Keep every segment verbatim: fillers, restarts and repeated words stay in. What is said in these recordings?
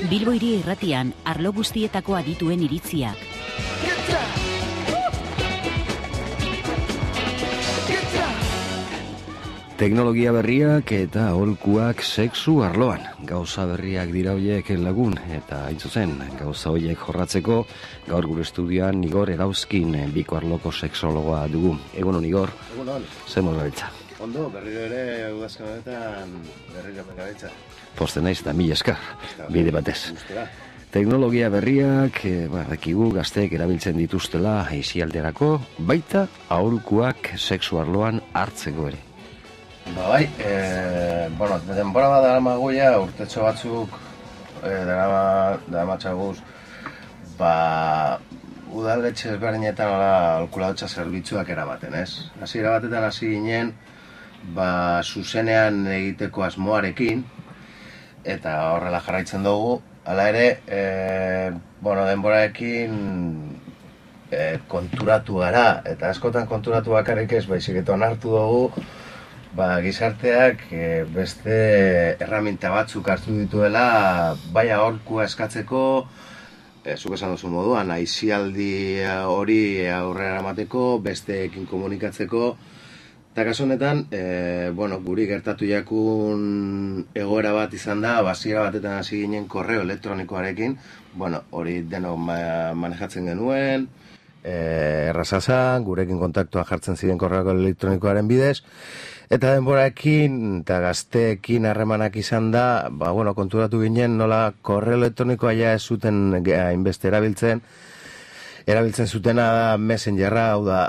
Bilbo Hiri Irratian arlo guztietako adituen iritziak. Teknologia berriak eta aholkuak sexu arloan. Gauza berriak dira horiek lagun, eta hain zuzen, gauza horiek jorratzeko, gaur gure estudioan Igor Erauzkin biko arloko sexologoa dugu. Egunon, Igor? Egunon. Zer moz gabiltza? Ondo, berriro ere udazkan honetan berriro gabiltza. Poste naiz eta mila eskar, bide batez. Gustera. Teknologia berriak, e, badakigu gazteek erabiltzen dituztela aisialderako, baita aholkuak sexu arloan hartzeko ere. Ba bai, e, bueno, denbora bat dara maguia, urtetxo batzuk e, dara, dara matxaguz, ba, udaletxe ezberdinetan alkulautza zerbitzuak erabaten, ez? Hasi erabatetan hasi ginen, ba, zuzenean egiteko asmoarekin, eta horrela jarraitzen dugu, hala ere, e, bueno, denborarekin e, konturatu gara, eta askotan konturatu bakarrik ez, baizik eta onartu dugu, ba, gizarteak e, beste erraminta batzuk hartu dituela, bai aholkua eskatzeko, e, zuk esan duzu moduan, aisialdi hori aurrera eramateko, besteekin komunikatzeko, eta kasu honetan, e, bueno, guri gertatu jakun egoera bat izan da, basiera batetan hasi ginen korreo elektronikoarekin, bueno, hori denok ma, manejatzen genuen, e, errazazan, gurekin kontaktua jartzen ziren korreo elektronikoaren bidez, eta denboraekin eta gazteekin harremanak izan da, ba, bueno, konturatu ginen nola korreo elektronikoa ja ez zuten hainbeste erabiltzen, erabiltzen zutena da Messengerra, hau da,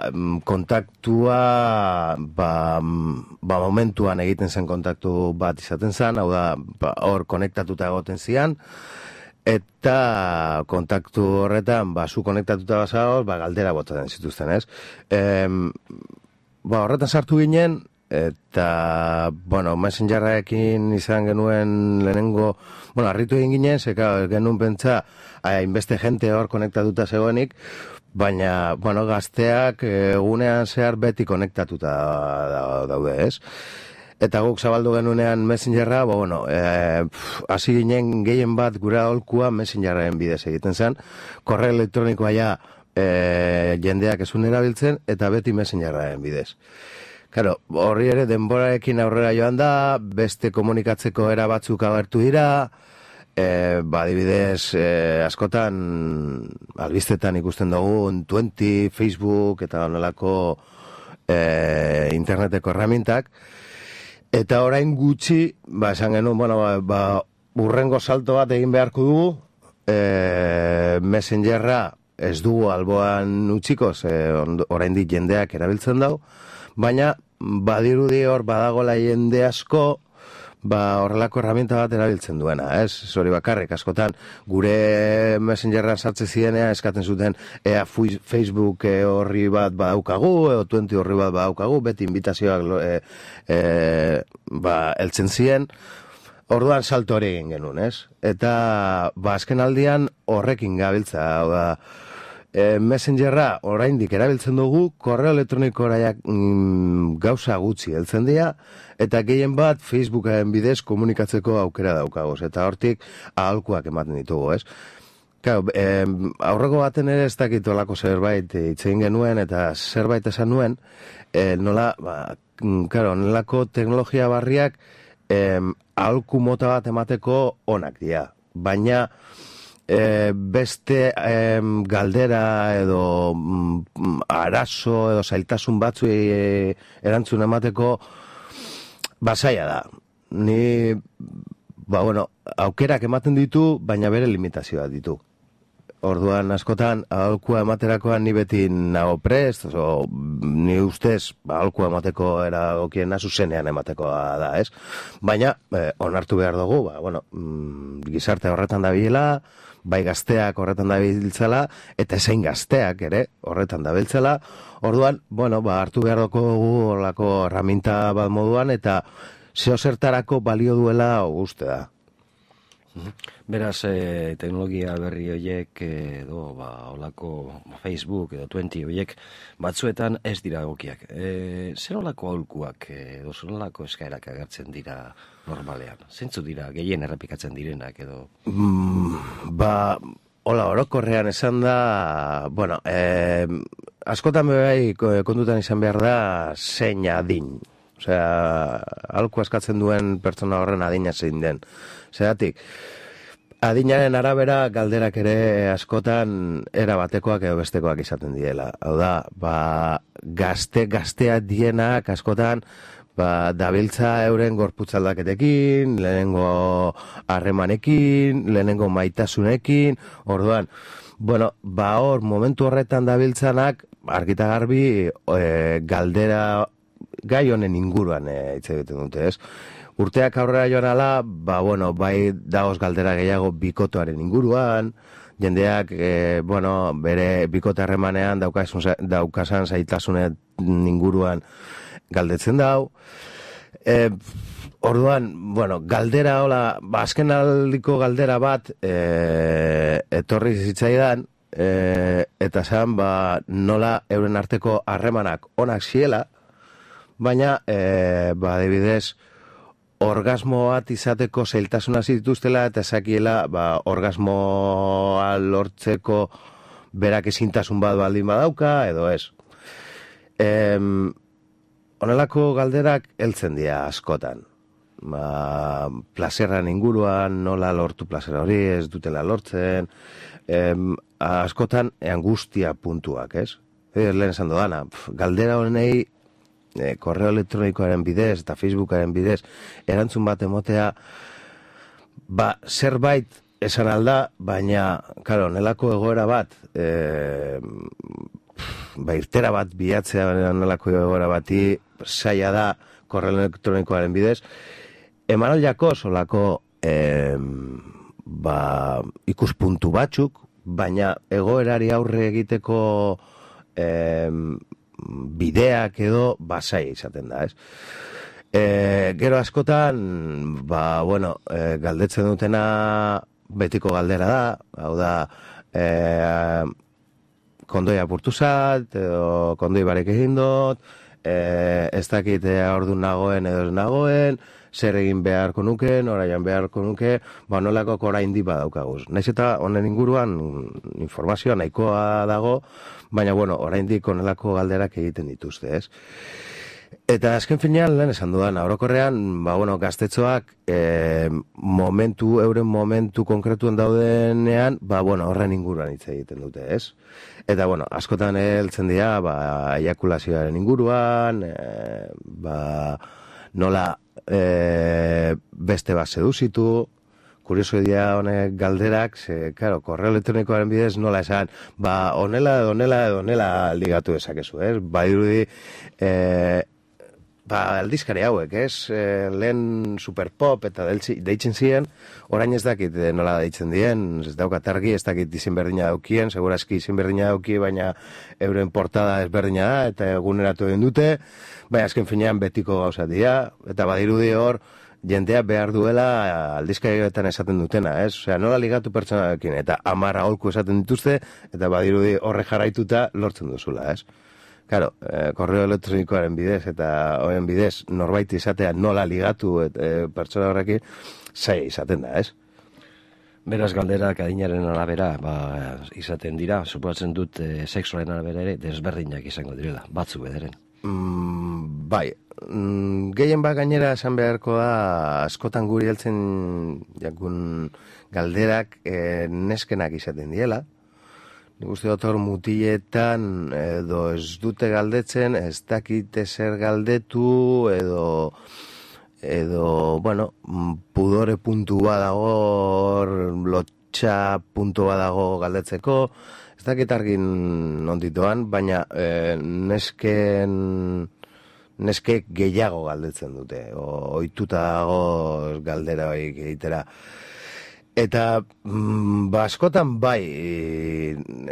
kontaktua, ba, ba, momentuan egiten zen kontaktu bat izaten zen, hau da, ba, hor konektatuta egoten zian, eta kontaktu horretan, ba, zu konektatuta bazagoz, ba, galdera botatzen zituzten, ez? E, ba, horretan sartu ginen, eta, bueno, Messengerrekin izan genuen lehenengo, bueno, harritu egin ginen, zeka genuen pentsa, hainbeste jente hor konektatuta zegoenik, baina, bueno, gazteak egunean zehar beti konektatuta daude, ez? Eta guk zabaldu genuenean Messengerra, bo, bueno, hasi e, ginen gehien bat gure aholkua Messengerren bidez egiten zen, korreo elektronikoa ja e, jendeak ezun erabiltzen, eta beti Messengerren bidez. Claro, horri ere denborarekin aurrera joan da, beste komunikatzeko era batzuk agertu dira, e, ba, adibidez, e, askotan, albistetan ikusten dugu, twenty, Facebook, eta onelako e, interneteko erramintak, eta orain gutxi, ba, esan genuen, bueno, ba, ba, urrengo salto bat egin beharko dugu, e, Messengerra ez dugu alboan utziko, orain dit jendeak erabiltzen dau, baina badirudi hor badagola jende asko, ba horrelako herramienta bat erabiltzen duena, ez? Hori bakarrik, askotan gure Messengerra sartzen zirenea eskatzen zuten ea Facebook horri bat badaukagu, edo twenty horri bat badaukagu, beti invitazioak e, e, ba, eltzen ziren, orduan salto hori egin genuen, ez? Eta ba azken aldian horrekin gabiltza, hau da, E, Messengerra oraindik erabiltzen dugu, korreo elektronikoak mm, gauza gutxi heltzen dira, eta gehien bat Facebooken bidez komunikatzeko aukera daukagoz, eta hortik aholkuak ematen ditugu, ez? Claro, e, aurreko baten ere ez dakit olako zerbait itzein genuen, eta zerbait esan nuen, e, nola, ba, claro, nolako teknologia barriak e, aholku mota bat emateko onak dira, baina E, beste e, galdera edo mm, arazo edo zailtasun batzu e, erantzun emateko basaia da. Ni, ba bueno, aukerak ematen ditu, baina bere limitazioa ditu. Orduan askotan aholkua ematerakoan ni beti nago prest, oso, ni ustez ba, aholkua emateko eragokiena zuzenean emateko da, ez? Baina, eh, onartu behar dugu, ba, bueno, mm, gizarte horretan dabilela, bai gazteak horretan dabiltzela, eta ezein gazteak ere horretan dabiltzela, orduan, bueno, ba, hartu behar dugu horrelako erraminta bat moduan, eta zeo zertarako balio duela uste da. Beraz, eh, teknologia berri horiek edo ba, olako Facebook edo twenty horiek batzuetan ez dira egokiak. E, zer olako aholkuak edo zer olako eskaerak agertzen dira normalean? Zentzu dira gehien errepikatzen direnak edo? Mm, ba, hola, orokorrean esan da, bueno, eh, askotan bai kontutan izan behar da zein adin. Osea, aholku askatzen duen pertsona horren adina zein den. Zeratik, adinaren arabera galderak ere askotan era batekoak edo bestekoak izaten diela. Hau da, ba, gazte, gazteak dienak askotan ba, dabiltza euren gorputzaldaketekin, lehenengo harremanekin, lehenengo maitasunekin, orduan, bueno, ba hor, momentu horretan dabiltzanak, argita garbi, e, galdera gai honen inguruan e, hitz egiten dute, ez? Urteak aurrera joan ala, ba, bueno, bai dagoz galdera gehiago bikotoaren inguruan, jendeak, e, bueno, bere bikote harremanean daukasan zaitasunen inguruan galdetzen dau. E, orduan, bueno, galdera, hola, ba, azken aldiko galdera bat e, etorri zitzaidan, e, eta zan, ba, nola euren arteko harremanak onak ziela, baina, e, ba, adibidez, orgasmo bat izateko zailtasuna zituztela eta ezakiela ba, orgasmoa lortzeko berak ezintasun bat baldin badauka edo ez. Em, honelako galderak heltzen dira askotan. Ba, plazerran inguruan, nola lortu plazera hori, ez dutela lortzen, em, askotan angustia puntuak, ez? E, lehen esan dodana, galdera honei E, korreo elektronikoaren bidez eta Facebookaren bidez erantzun bat emotea ba, zerbait esan alda, baina claro, nelako egoera bat e, ba, irtera bat bilatzea nelako egoera bati zaila da korreo elektronikoaren bidez eman aldiako solako e, ba, ikuspuntu batzuk, baina egoerari aurre egiteko e, bideak edo basai izaten da, ez? E, gero askotan, ba, bueno, e, galdetzen dutena betiko galdera da, hau da, e, kondoi apurtu zat, edo kondoi barek egin dut, e, ez dakit ordu nagoen edo ez nagoen, zer egin beharko nuke, noraian beharko nuke, ba, nolako orain di badaukaguz. Naiz eta honen inguruan informazioa nahikoa dago, baina, bueno, oraindik honelako galderak egiten dituzte, ez? Eta azken finean, lehen esan dudan, orokorrean, ba, bueno, gaztetxoak e, momentu, euren momentu konkretuen daudenean, ba, bueno, horren inguruan hitz egiten dute, ez? Eta, bueno, askotan heltzen dira, ba, eiakulazioaren inguruan, e, ba, nola e, beste bat seduzitu, kurioso dira honek galderak, ze, claro, korreo elektronikoaren bidez nola esan, ba, onela edo onela edo onela ligatu dezakezu, ez? Ba, irudi, e, ba, aldizkari hauek, ez? E, lehen superpop eta deitzen ziren, orain ez dakit nola deitzen dien, ez daukat argi, ez dakit izin berdina daukien, segurazki izin berdina dauki, baina euren portada ezberdina da, eta eguneratu egin dute, baina azken finean betiko gauza dira, eta badirudi hor, jendea behar duela aldizkarietan esaten dutena, ez? Osea, nola ligatu pertsonarekin, eta hamar aholku esaten dituzte, eta badirudi horre jarraituta lortzen duzula, ez? Claro, eh, korreo elektronikoaren bidez eta horren bidez norbait izatea nola ligatu et, eh, pertsona horrekin, zaila izaten da, ez? Beraz, galderak adinaren arabera ba, izaten dira, suposatzen dut e, sexuaren arabera ere desberdinak izango direla, batzu bederen. Mm, bai, mm, gehien bat gainera esan beharko da askotan guri heltzen jakun galderak e, neskenak izaten diela. Nik uste dut hor mutiletan edo ez dute galdetzen, ez dakite zer galdetu edo edo, bueno, pudore puntu badago, lotxa puntu badago galdetzeko, ez dakit argin onditoan, baina e, nesken, neskek gehiago galdetzen dute, ohituta dago galdera horiek egitera. Eta, mm, ba, askotan bai,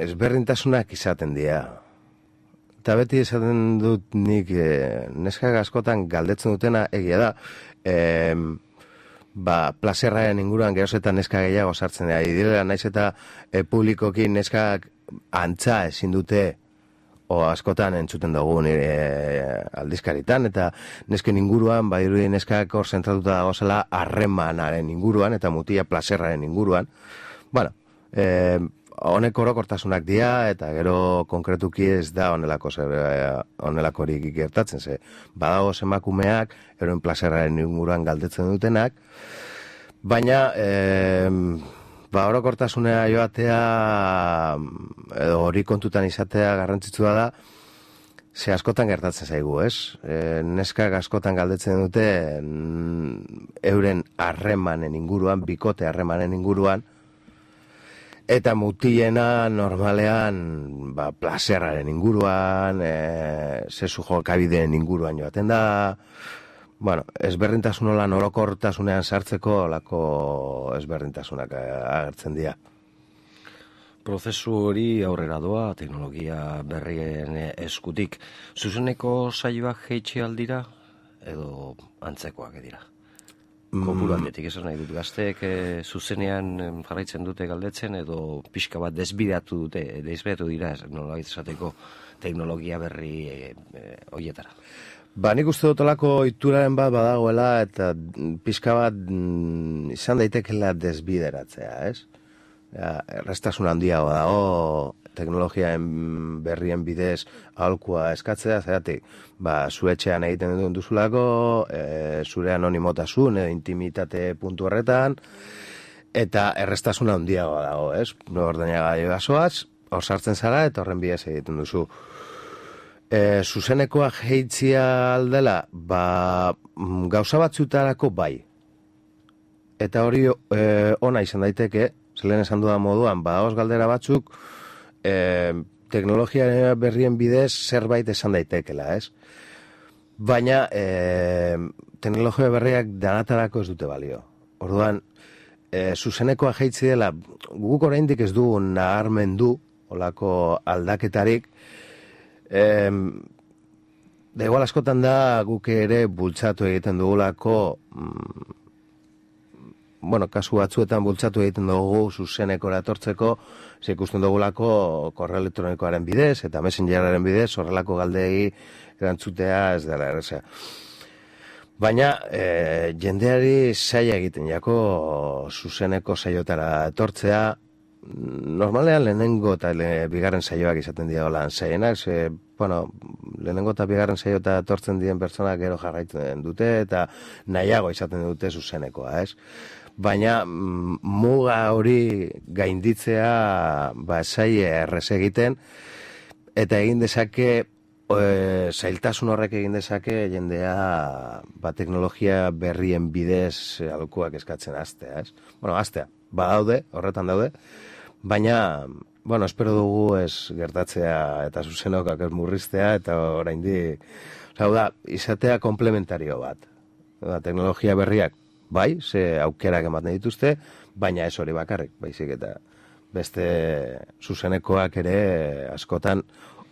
ezberdintasunak izaten dira. Eta beti esaten dut nik e, neskak askotan galdetzen dutena egia da. E, ba, plazerraren inguruan gerozetan neska gehiago sartzen dira. Direla, naiz eta e, publikoki neskak antza ezin dute, o askotan entzuten dugu nire aldizkaritan, eta nesken inguruan, badirudi neskak hor zentratuta dagozela harremanaren inguruan, eta mutia plazerraren inguruan. Bueno, e, honek orokortasunak dira, eta gero konkretuki ez da honelako zer, honelakorik gertatzen, ze badago emakumeak eroen plazerraren inguruan galdetzen dutenak, baina e, ba, orokortasunea joatea edo hori kontutan izatea garrantzitsua da, ze askotan gertatzen zaigu, ez? E, neskak askotan galdetzen dute euren harremanen inguruan, bikote harremanen inguruan, eta mutilena normalean ba, plazerraren inguruan, e, sesu jokabideen inguruan joaten da, bueno, ezberdintasun olan orokortasunean sartzeko olako ezberdintasunak agertzen dira. Prozesu hori aurrera doa, teknologia berrien eskutik. Zuzeneko saioak jeitxe aldira, edo antzekoak edira? Kopuru aldetik, esan nahi dut, gazteek e, zuzenean jarraitzen dute galdetzen, edo pixka bat desbideatu dute, desbideatu dira, nola izateko teknologia berri e, e, oietara. Ba, nik uste dut olako ituraren bat badagoela, eta pixka bat mm, izan daitekela desbideratzea, ez? Ja, errestasun handiago dago, teknologiaen berrien bidez aholkua eskatzea, zeratik, ba, zuetxean egiten duen duzulako, e, zure anonimotasun edo intimitate puntu horretan, eta errestasun handiago dago, ez? Ordenaga joazoaz, hor sartzen zara, eta horren bidez egiten duzu. E, zuzenekoa jeitzia aldela, ba, gauza batzutarako bai. Eta hori e, ona izan daiteke, zelen esan dudan moduan, badagoz galdera batzuk, e, teknologia berrien bidez zerbait esan daitekela, ez? Baina, e, teknologia berriak danatarako ez dute balio. Orduan, e, zuzenekoa jeitzi dela, guk oraindik ez dugu naharmendu, olako aldaketarik, e, da igual askotan da guk ere bultzatu egiten dugulako, mm, bueno, kasu batzuetan bultzatu egiten dugu zuzenekora etortzeko, ze ikusten dugulako korreo elektronikoaren bidez eta messengeraren bidez horrelako galdegi erantzutea ez dela erreza. Baina e, jendeari zaila egiten jako zuzeneko saiotara etortzea, normalean lehenengo eta le, bigarren saioak izaten dira lan zaienak, ze, bueno, lehenengo eta bigarren saiota etortzen diren pertsonak gero jarraitzen dute eta nahiago izaten dute zuzenekoa, ez? Baina muga hori gainditzea ba, zaie errez egiten, eta egin dezake, e, zailtasun horrek egin dezake jendea ba, teknologia berrien bidez aholkuak eskatzen hastea, ez? Bueno, hastea, badaude, horretan daude, baina, bueno, espero dugu ez gertatzea eta zuzenokak ez murriztea, eta oraindik, hau da, izatea komplementario bat. Da, teknologia berriak, bai, ze aukerak ematen dituzte, baina ez hori bakarrik, baizik eta beste zuzenekoak ere askotan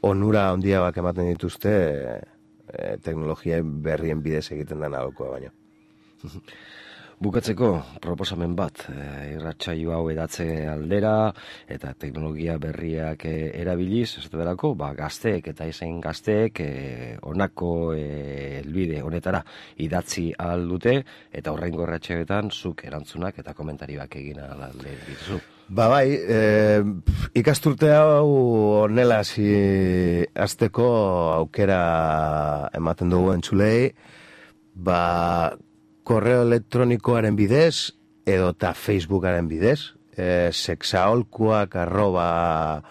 onura handiagoak ematen dituzte e, teknologia berrien bidez egiten den aholkua baino. Bukatzeko proposamen bat, e, irratsaio hau edatze aldera eta teknologia berriak e, erabiliz, ez delako, ba, gazteek eta izen gazteek e, onako e, helbide honetara idatzi ahal dute, eta horrengo irratsaioetan zuk erantzunak eta komentarioak egin ahal dituzu. Ba bai, e, ikasturte hau honela hasi hasteko aukera ematen dugu entzulei, ba korreo elektronikoaren bidez, edo eta Facebookaren bidez, e, sexaholkuak arroba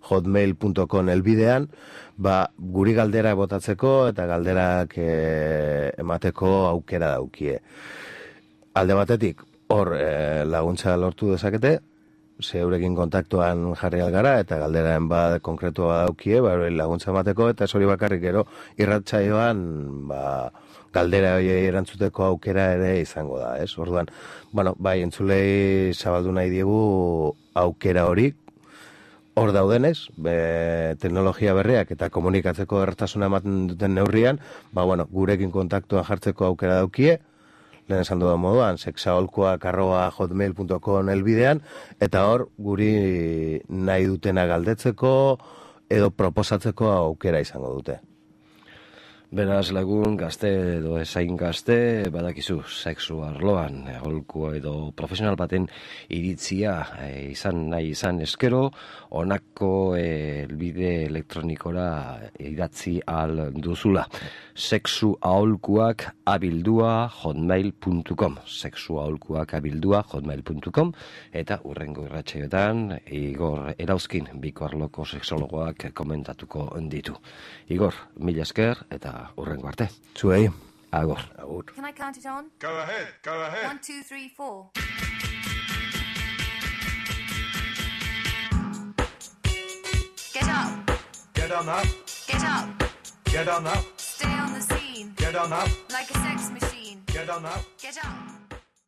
hotmail punto com elbidean, ba, guri galdera botatzeko eta galderak e, emateko aukera daukie. Alde batetik, hor e, laguntza lortu dezakete, zeurekin kontaktuan jarri algara, eta galderaren bat konkretua daukie, ba, laguntza emateko, eta ez hori bakarrik gero irratsaioan, ba, galdera horiei erantzuteko aukera ere izango da, ez? Orduan, bueno, bai, entzulei zabaldu nahi diegu aukera hori, hor daudenez, be, teknologia berriak eta komunikatzeko ertasuna ematen duten neurrian, ba, bueno, gurekin kontaktuan jartzeko aukera daukie, lehen esan dudan moduan, sexaholkuak arroba hotmail punto com elbidean, eta hor guri nahi dutena galdetzeko edo proposatzeko aukera izango dute. Beraz, lagun, gazte edo ezain gazte, badakizu, sexu arloan, aholku edo profesional baten iritzia e, izan nahi izan eskero, honako elbide elektronikora idatzi al duzula. Sexu aholkuak abildua hotmail punto com, sexu aholkuak abildua hotmail punto com, eta urrengo irratsaioetan Igor Erauzkin, biko arloko sexologoak komentatuko ditu. Igor, mila esker, eta urrengo arte. Zuei. Agor. Agur. Can I count it on? Go ahead, go ahead. One, two, three, four. Get up. Get on up, Get up. get on up, Stay on the scene. get on up, Like a sex machine. get on up. Get up.